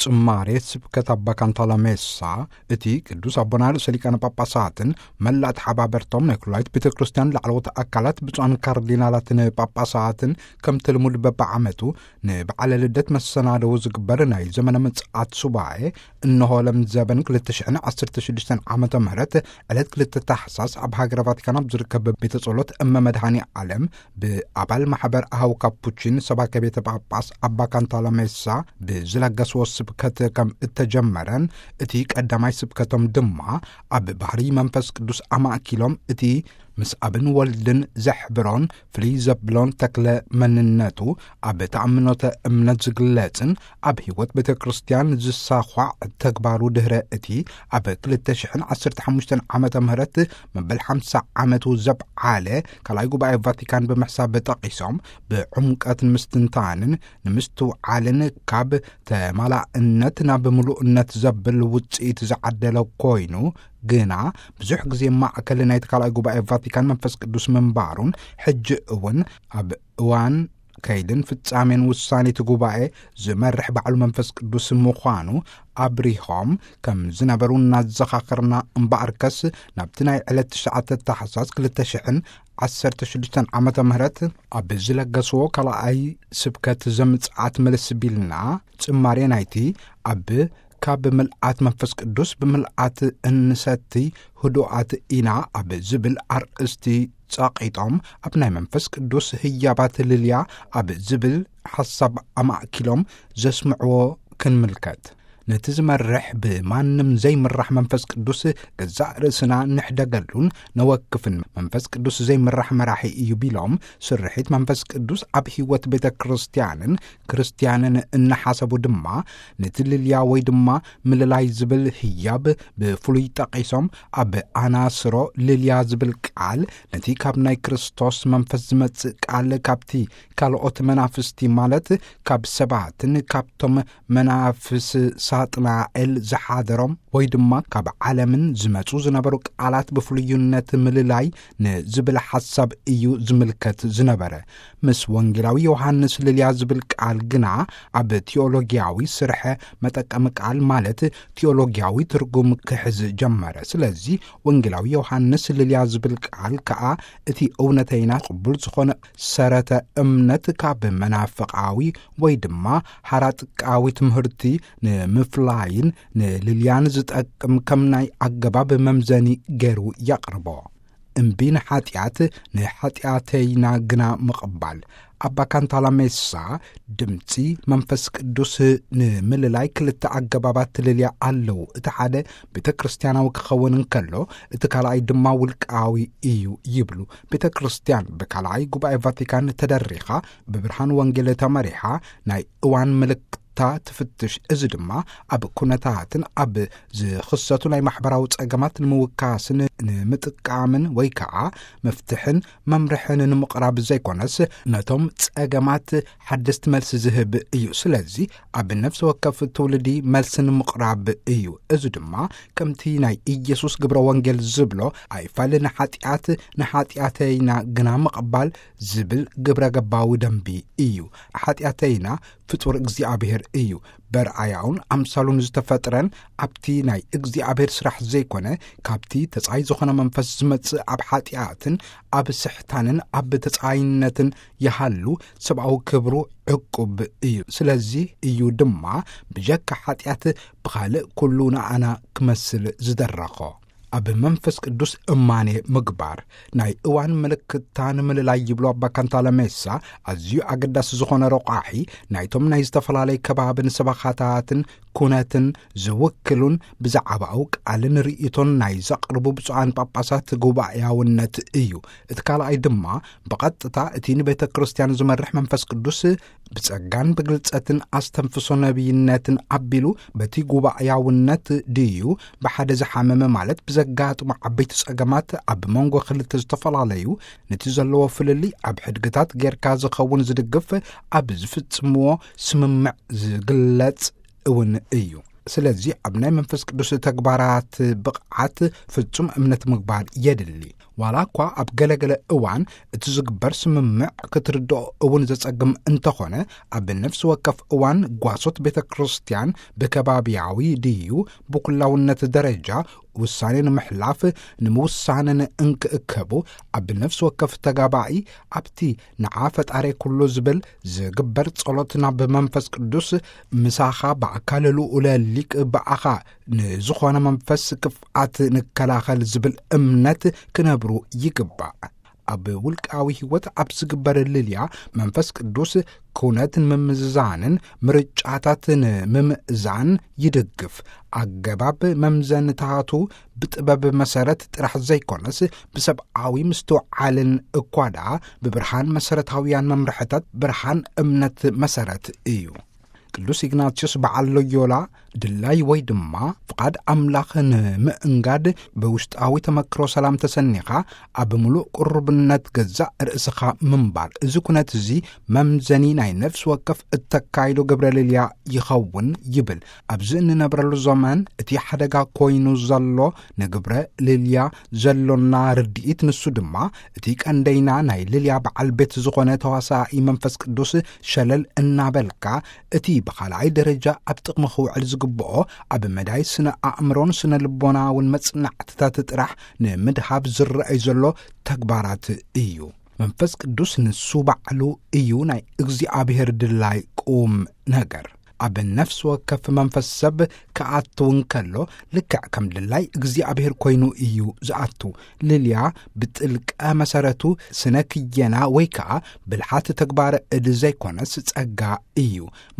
ጽማሬ ስብከት ኣባ ካንታላ ሜሳ፣ እቲ ቅዱስ ኣቦና ርእሰ ሊቃነ ጳጳሳትን መላእ ተሓባበርቶም ናይ ኩላይት ቤተ ክርስቲያን ላዕለዎት ኣካላት ብፁዓን ካርዲናላትን ጳጳሳትን ከምቲ ልሙድ በብዓመቱ ንበዓለ ልደት መሰናደው ዝግበር ናይ ዘመነ ምጽኣት ሱባኤ እንሆ ለምዘበን ክልተ ሽሕን ዓሰርተ ሽዱሽተን ዓመተ ምህረት ዕለት ክልተ ታሕሳስ ኣብ ሃገረ ቫቲካን ኣብ ዝርከብ ቤተ ጸሎት እመ መድኃኔ ዓለም ብኣባል ማሕበር ኣሃው ካፑቺን ሰባከ ቤተ ጳጳስ ኣባ ካንታላ ሜሳ ብዝለገስዎ ስብከት ከም እተጀመረን፣ እቲ ቀዳማይ ስብከቶም ድማ ኣብ ባህሪ መንፈስ ቅዱስ ኣማእኪሎም እቲ ምስ ኣብን ወልድን ዘሕብሮን ፍልይ ዘብሎን ተክለ መንነቱ ኣብ ተኣምኖተ እምነት ዝግለጽን ኣብ ሕይወት ቤተ ክርስቲያን ዝሳዃዕ ተግባሩ ድህረ እቲ ኣብ ክልተ ሽሕን ዓሰርተ ሓሙሽተን ዓመተ ምህረት መበል ሓምሳ ዓመቱ ዘብዓለ ካልኣይ ጉባኤ ቫቲካን ብምሕሳብ ጠቒሶም፣ ብዕምቀትን ምስትንታንን ንምስትውዓልን ካብ ተማላእነት ናብ ምሉእነት ዘብል ውጽኢት ዝዓደለ ኮይኑ፣ ግና ብዙሕ ግዜ ማእከል ናይቲ ካልኣይ ጉባኤ ቫቲካን መንፈስ ቅዱስ ምንባሩን፣ ሕጂ እውን ኣብ እዋን ከይድን ፍጻሜን ውሳኔ እቲ ጉባኤ ዝመርሕ ባዕሉ መንፈስ ቅዱስ ምዃኑ ኣብሪሆም ከም ዝነበሩ እናዘኻኸርና፣ እምበኣርከስ ናብቲ ናይ ዕለት ትሽዓተ ታሕሳስ ክልተ ሽሕን ዓሰርተ ሽዱሽተን ዓመተ ምህረት ኣብ ዝለገስዎ ካልኣይ ስብከት ዘምጽኣት መለስ ቢልና፣ ጽማሬ ናይቲ ኣብ ካብ ምልኣት መንፈስ ቅዱስ ብምልኣት እንሰቲ ህዱኣት ኢና ኣብ ዝብል ኣርእስቲ ጸቒጦም፣ ኣብ ናይ መንፈስ ቅዱስ ህያባት ልልያ ኣብ ዝብል ሓሳብ ኣማእኪሎም ዘስምዕዎ ክንምልከት። ነቲ ዝመርሕ ብማንም ዘይምራሕ መንፈስ ቅዱስ ገዛእ ርእስና ንሕደገሉን ነወክፍን። መንፈስ ቅዱስ ዘይምራሕ መራሒ እዩ ቢሎም፣ ስርሒት መንፈስ ቅዱስ ኣብ ሕይወት ቤተ ክርስቲያንን ክርስቲያንን እናሓሰቡ ድማ፣ ነቲ ልልያ ወይ ድማ ምልላይ ዝብል ህያብ ብፍሉይ ጠቒሶም፣ ኣብ ኣናስሮ ልልያ ዝብል ቃል፣ ነቲ ካብ ናይ ክርስቶስ መንፈስ ዝመጽእ ቃል ካብቲ ካልኦት መናፍስቲ፣ ማለት ካብ ሰባትን ካብቶም መናፍስ ሳጥናኤል ዝሓደሮም ወይ ድማ ካብ ዓለምን ዝመጹ ዝነበሩ ቃላት ብፍሉይነት ምልላይ ንዝብል ሓሳብ እዩ ዝምልከት ዝነበረ። ምስ ወንጌላዊ ዮሃንስ ልልያ ዝብል ቃል ግና ኣብ ቲዮሎጊያዊ ስርሐ መጠቀሚ ቃል፣ ማለት ቲዮሎጊያዊ ትርጉም ክሕዝ ጀመረ። ስለዚ ወንጌላዊ ዮሃንስ ልልያ ዝብል ቃል ከኣ እቲ እውነተይና ቅቡል ዝኾነ ሰረተ እምነት ካብ መናፍቃዊ ወይ ድማ ሓራጥቃዊ ትምህርቲ ንምፍላይን ንልልያን ዝጠቅም ከም ናይ ኣገባብ መምዘኒ ገይሩ የቕርቦ። እምቢ ንሓጢኣት፣ ንሓጢኣተይና ግና ምቕባል። ኣባ ካንታላ ሜሳ፣ ድምጺ መንፈስ ቅዱስ ንምልላይ ክልተ ኣገባባት ትልልያ ኣለዉ። እቲ ሓደ ቤተ ክርስቲያናዊ ክኸውን እንከሎ፣ እቲ ካልኣይ ድማ ውልቃዊ እዩ ይብሉ። ቤተ ክርስቲያን ብካልኣይ ጉባኤ ቫቲካን ተደሪኻ፣ ብብርሃን ወንጌል ተመሪሓ፣ ናይ እዋን ምልክታ ትፍትሽ። እዚ ድማ ኣብ ኩነታትን ኣብ ዝኽሰቱ ናይ ማሕበራዊ ጸገማት ንምውካስን ንምጥቃምን ወይ ከኣ መፍትሕን መምርሕን ንምቕራብ ዘይኮነስ፣ ነቶም ጸገማት ሓደስቲ መልሲ ዝህብ እዩ። ስለዚ ኣብ ነፍሲ ወከፍ ትውልዲ መልሲ ንምቕራብ እዩ። እዚ ድማ ከምቲ ናይ ኢየሱስ ግብረ ወንጌል ዝብሎ፣ ኣይፋል ንሓጢኣት፣ ንሓጢኣተይና ግና ምቕባል ዝብል ግብረ ገባዊ ደንቢ እዩ። ሓጢኣተይና ፍጡር እግዚኣብሔር እዩ። በርኣያውን ኣምሳሉን ዝተፈጥረን ኣብቲ ናይ እግዚኣብሔር ስራሕ ዘይኮነ፣ ካብቲ ተጻይ ዝኾነ መንፈስ ዝመጽእ ኣብ ሓጢኣትን ኣብ ስሕታንን ኣብ ተጻይነትን ይሃሉ፣ ሰብኣዊ ክብሩ ዕቁብ እዩ። ስለዚ እዩ ድማ ብጀካ ሓጢኣት ብኻልእ ኩሉ ንኣና ክመስል ዝደረኾ። ኣብ መንፈስ ቅዱስ እማኔ ምግባር። ናይ እዋን ምልክታ ንምልላይ ይብሉ ኣባ ካንታለ ሜሳ፣ ኣዝዩ ኣገዳሲ ዝኾነ ረቋሒ ናይቶም ናይ ዝተፈላለየ ከባብን ሰበኻታትን ኩነትን ዝውክሉን ብዛዕባኡ ቃልን ርእይቶን ናይ ዘቕርቡ ብፁዓን ጳጳሳት ጉባኤያውነት እዩ። እቲ ካልኣይ ድማ ብቐጥታ እቲ ንቤተ ክርስቲያን ዝመርሕ መንፈስ ቅዱስ ብጸጋን ብግልጸትን ኣስተንፍሶ ነቢይነትን ኣቢሉ በቲ ጉባኤያውነት ድዩ ብሓደ ዝሓመመ፣ ማለት ብዘጋጥሞ ዓበይቲ ጸገማት ኣብ መንጎ ክልተ ዝተፈላለዩ ነቲ ዘለዎ ፍልልይ ኣብ ሕድግታት ጌርካ ዝኸውን ዝድግፍ ኣብ ዝፍጽምዎ ስምምዕ ዝግለጽ እውን እዩ። ስለዚ ኣብ ናይ መንፈስ ቅዱስ ተግባራት ብቕዓት ፍጹም እምነት ምግባር የድሊ። ዋላ እኳ ኣብ ገለገለ እዋን እቲ ዝግበር ስምምዕ ክትርድኦ እውን ዘጸግም እንተኾነ፣ ኣብ ነፍሲ ወከፍ እዋን ጓሶት ቤተ ክርስቲያን ብከባቢያዊ ድዩ ብኩላውነት ደረጃ ውሳኔ ንምሕላፍ ንምውሳንን እንክእከቡ፣ ኣብ ነፍሲ ወከፍ ተጋባኢ ኣብቲ ንዓ ፈጣሪ ኩሉ ዝብል ዝግበር ጸሎት ናብ መንፈስ ቅዱስ፣ ምሳኻ ብኣካል ልኡለ ሊቅ ብኣኻ ንዝኾነ መንፈስ ክፍኣት ንከላኸል ዝብል እምነት ክነብሩ ይግባእ። ኣብ ውልቃዊ ህይወት ኣብ ዝግበር ልልያ መንፈስ ቅዱስ ኩነት ንምምዝዛንን ምርጫታት ንምምእዛን ይድግፍ። ኣገባብ መምዘንታቱ ብጥበብ መሰረት ጥራሕ ዘይኮነስ ብሰብኣዊ ምስትውዓልን እኳ ደኣ ብብርሃን መሰረታውያን መምርሕታት ብርሃን እምነት መሰረት እዩ። ቅዱስ ኢግናቲዮስ በዓል ሎዮላ ድላይ ወይ ድማ ፍቓድ ኣምላኽ ንምእንጋድ ብውሽጣዊ ተመክሮ ሰላም ተሰኒኻ ኣብ ምሉእ ቅሩብነት ገዛእ ርእስኻ ምንባር። እዚ ኩነት እዚ መምዘኒ ናይ ነፍሲ ወከፍ እተካይዶ ግብረ ልልያ ይኸውን ይብል። ኣብዚ እንነብረሉ ዘመን እቲ ሓደጋ ኮይኑ ዘሎ ንግብረ ልልያ ዘሎና ርድኢት ንሱ ድማ እቲ ቀንደይና ናይ ልልያ በዓል ቤት ዝኾነ ተዋሳኢ መንፈስ ቅዱስ ሸለል እናበልካ እቲ ብኻልኣይ ደረጃ ኣብ ጥቕሚ ክውዕል ዝግብኦ ኣብ መዳይ ስነ ኣእምሮን ስነ ልቦናውን መጽናዕትታት ጥራሕ ንምድሃብ ዝረኣይ ዘሎ ተግባራት እዩ። መንፈስ ቅዱስ ንሱ ባዕሉ እዩ ናይ እግዚኣብሔር ድላይ ቁም ነገር። ኣብ ነፍሲ ወከፍ መንፈስ ሰብ ክኣቱ እንከሎ ልክዕ ከም ድላይ እግዚኣብሔር ኮይኑ እዩ ዝኣቱ። ልልያ ብጥልቀ መሰረቱ ስነ ክየና ወይ ከኣ ብልሓት ተግባረ እድ ዘይኮነስ ጸጋ እዩ።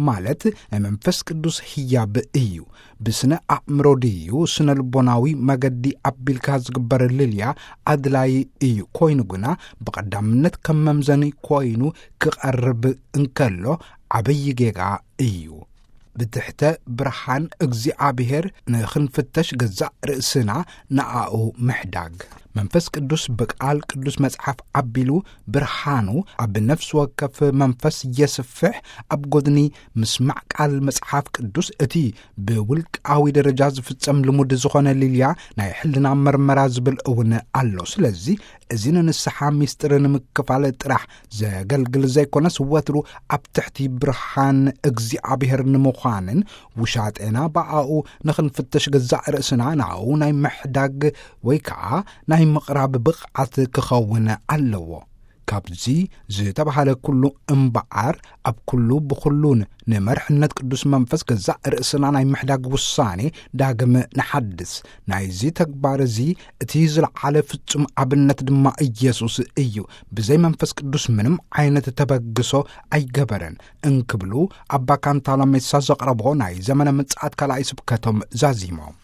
ማለት ናይ መንፈስ ቅዱስ ህያብ እዩ። ብስነ ኣእምሮ ድዩ ስነ ልቦናዊ መገዲ ኣቢልካ ዝግበር ልልያ ኣድላይ እዩ። ኮይኑ ግና ብቐዳምነት ከም መምዘኒ ኮይኑ ክቐርብ እንከሎ ዓብዪ ጌጋ እዩ። ብትሕተ ብርሃን እግዚኣብሔር ንኽንፍተሽ ገዛእ ርእስና ንኣኡ ምሕዳግ። መንፈስ ቅዱስ ብቃል ቅዱስ መጽሓፍ ኣቢሉ ብርሃኑ ኣብ ነፍሲ ወከፍ መንፈስ የስፍሕ። ኣብ ጎድኒ ምስማዕ ቃል መጽሓፍ ቅዱስ እቲ ብውልቃዊ ደረጃ ዝፍጸም ልሙድ ዝኾነ ልልያ ናይ ሕልና መርመራ ዝብል እውን ኣሎ። ስለዚ እዚ ንንስሓ ሚስጥር ንምክፋል ጥራሕ ዘገልግል ዘይኮነስ ወትሩ ኣብ ትሕቲ ብርሃን እግዚኣብሔር ንምዃንን ውሻጤና ብኣኡ ንኽንፍተሽ ገዛእ ርእስና ንኣኡ ናይ ምሕዳግ ወይ ከዓ ናይ ምቕራብ ብቕዓት ክኸውን ኣለዎ። ካብዚ ዝተባህለ ኩሉ እምበኣር ኣብ ኩሉ ብኹሉን ንመርሕነት ቅዱስ መንፈስ ገዛእ ርእስና ናይ ምሕዳግ ውሳኔ ዳግም ንሓድስ። ናይዚ ተግባር እዚ እቲ ዝለዓለ ፍጹም ኣብነት ድማ ኢየሱስ እዩ። ብዘይ መንፈስ ቅዱስ ምንም ዓይነት ተበግሶ ኣይገበረን እንክብሉ ኣባ ካንታላ ሜሳ ዘቕረቦ ናይ ዘመነ ምጽኣት ካልኣይ ስብከቶም ዛዚሞም።